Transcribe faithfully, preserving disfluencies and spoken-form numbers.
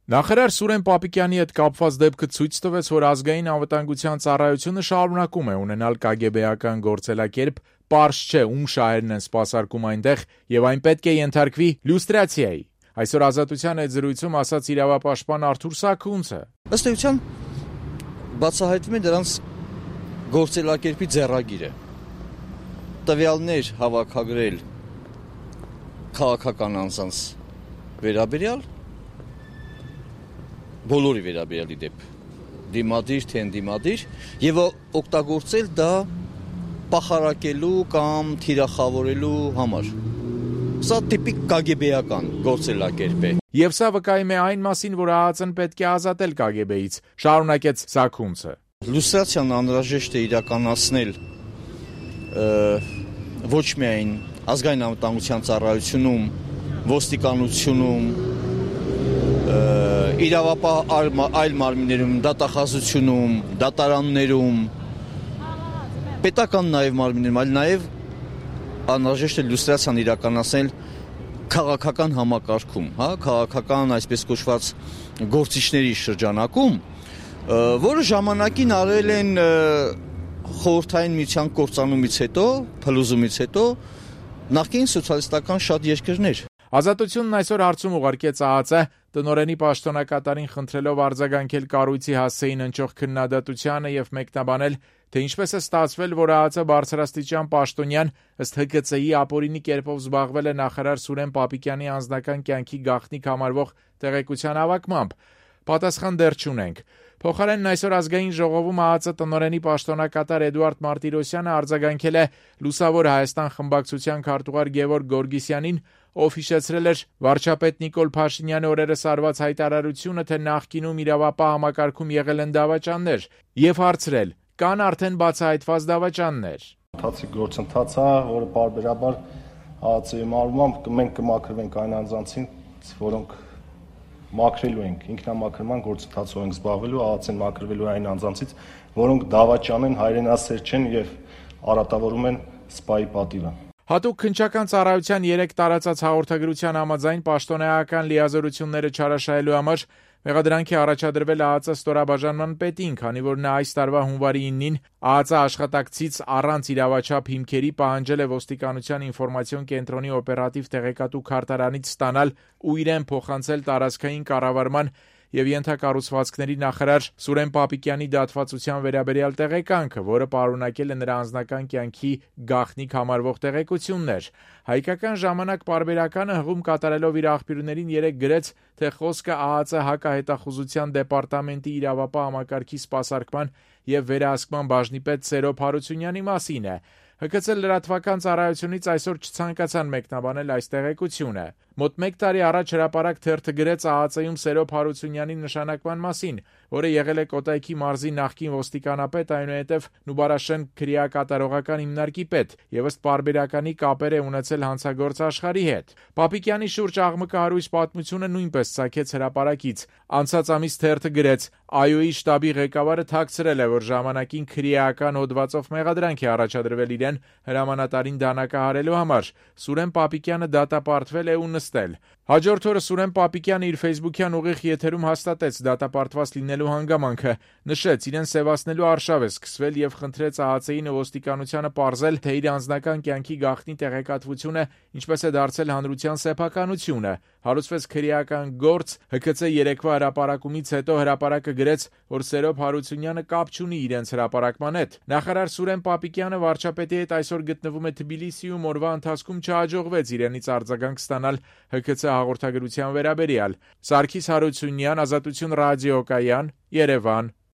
Նախարար Սուրեն Պապիկյանի հետ կապված դեպքը ցույց տվեց, որ ազգային անվտանգության ծառայությունը շարունակում է ունենալ կագեբեական գործելակերպ, պարզ չէ ում շահերն են սպասարկում այնտեղ եւ այն պետք է ենթարկվի լյուստրացիայի։ Այսօր Ազատության հետ զրույցում ասաց իրավապաշտպան Արթուր Սաքունցը. Ըստ էության բացահայտվում է դրանց գործելակերպի ձեռագիրը։ Տվյալներ հավաքագրել քաղաքական անձանց վերաբերյալ բոլորի վերաբերյալի դեպ դիմադիր թե ընդդիմադիր եւ օգտագործել դա պախարակելու կամ թիրախավորելու համար։ Սա տիպիկ կագեբեական գործելակերպ է։ Եվ սա վկայում է այն մասին, որ ԱԱԾ-ն պետք է ազատել կագեբեից, շարունակեց Սաքունցը։ Լյուստրացիան անհրաժեշտ է իրականացնել ոչ միայն ազգային անվտանգության ծառայությունում, ոստիկանությունում, իրավապահ այլ մարմիններում, դատախազությունում, դատարաններում, պետական նաև մարմիններում, այլ նաև անհրաժեշտ է լյուստրացիան իրականացնել քաղաքական համակարգում, հա, քաղաքական այսպես կոչված գործիչների շրջանակում, որը ժամանակին արել են խորհրդային միության կործանումից հետո, փլուզումից հետո նախկին սոցիալիստական շատ երկրներ։ Ազատությունն այսօր հարցում ուղարկեց ԱԱԾ տնօրենի պաշտոնակատարին խնդրելով արձագանքել կառույցի հասցեին հնչող քննադատությանը եւ մեկնաբանել, թե ինչպես է ստացվել, որ ԱԱԾ բարձրաստիճան պաշտոնյան ըստ Հ Կ Ց-ի ապօրինի կերպով զբաղվել է նախարար Սուրեն Պապիկյանի անձնական կյանքի գաղտնիք համարվող տեղեկության հավաքմամբ։ Պատասխան դեռ չունենք։ Փոխարենն այսօր ազգային ժողովում ԱԱԾ տնօրենի պաշտոնակատար Էդուարդ Մարտիրոսյանը արձագանքել է Լուսավոր Հայաստան խմբակցության քարտուղար Գևորգ Գորգիսյանին, ով հիշեցրել էր վարչապետ Նիկոլ Փաշինյանի օրերս արված հայտարարությունը, թե նախկինում իրավապահ համակարգում եղել են դավաճաններ, եւ հարցրել. կան արդեն բացահայտված դավաճաններ։ Ընթացիկ գործընթաց է, որը բարբերաբար ԱԱԾ-ի մարմամբ մենք կմաքրվենք այն անձանցին, որոնք մաքրելու ենք, ինքնամաքրման գործընթացով ենք զբաղվելու, ԱԱԾ-ն մաքրվելու այն անձանցից, որոնք դավաճան են, հայրենասեր չեն եւ արատավորում են սպայի պատիվը։ Հատուկ քննչական ծառայության երեք տարածած հաղորդագրության համաձայն պաշտոնեական լիազորությունները չարաշահելու համար մեղադրանք է առաջադրվել ԱԱԾ ստորաբաժանման պետին, քանի որ նա այս տարվա հունվարի իննին ԱԱԾ աշխատակցից առանց իրավաչափ հիմքերի պահանջել է ոստիկանության ինֆորմացիոն կենտրոնի օպերատիվ տեղեկատու քարտարանից ստանալ ու իրեն փոխանցել տարածքային կառավարման եւ ենթակառուցվածքների նախարար Սուրեն Պապիկյանի դատվածության վերաբերյալ տեղեկանքը, որը պարունակել է նրա անձնական կյանքի գաղտնիք համարվող տեղեկություններ։ Հայկական ժամանակ պարբերականը հղում կատարելով իր աղբյուրներին երեք գրեց, թե խոսքը ԱԱԾ հակահետախուզության դեպարտամենտի իրավապահ համակարգի սպասարկման եւ վերահսկման բաժնի պետ Սերո Փարությունյանի մասին է։ Հ Կ Ց լրատվական ծառայությունից այսօր չցանկացան մեկնաբանել այս տեղեկությունը։ Մոտ մեկ տարի առաջ հրապարակ թերթը գրեց ԱԱԾ-ում Սերո Փարությունյանի նշանակման մասին, որը եղել է Կոտայքի մարզի նախկին ոստիկանապետ, այնուհետև Նուբարաշեն քրեակատարողական հիմնարկի պետ եւ ըստ պարբերականի կապեր է ունեցել հանցագործ Աշխարհի հետ։ Պապիկյանի շուրջ աղմկահարույց պատմությունը նույնպես ցակեց հրապարակից։ Անցած ամիս թերթը գրեց. ԱՅՈ-ի շտաբի ղեկավարը թաքցրել է, որ ժամանակին քրեական հոդվածով մեղադրանք է առաջադրվել իրեն հրամանատարին դանակահարելու համար։ Սուրեն Պապիկյանը դատապարտվել է ու նստել։ Հաջորդ օրը Սուրեն Պապիկյանը իր ֆեյսբուքյան ուղիղ եթերում հաստատեց դատապարտված լինելու հանգամանքը, նշեց իրեն սևացնելու արշավ է սկսվել եւ խնդրեց ԱԱԾ-ին ու ոստիկանությանը պարզել, թե իր անձնական կյանքի գաղտնի տեղեկատվությունը ինչպես է դարձել հանրության սեփականությունը։ Հարուցվեց քրեական գործ, Հ Կ Ց երեկվա հրապարակումից հետո հրապարակը գրեց, որ Սերո Փարությունյանը կապ չունի իրենց հրապարակման հետ։ Նախարար Սուրեն Պապիկյանը վարչապետի հետ այսօր գտնվում է Թբիլիսիում, օրվա ընթացքում չհաջողվեց իրենից արձագանք ստանալ Հ Կ Ց հաղորդագրության վերաբերյալ։ Սարգիս Հարությունյան, Ազատություն ռադիոկայան, Երևան։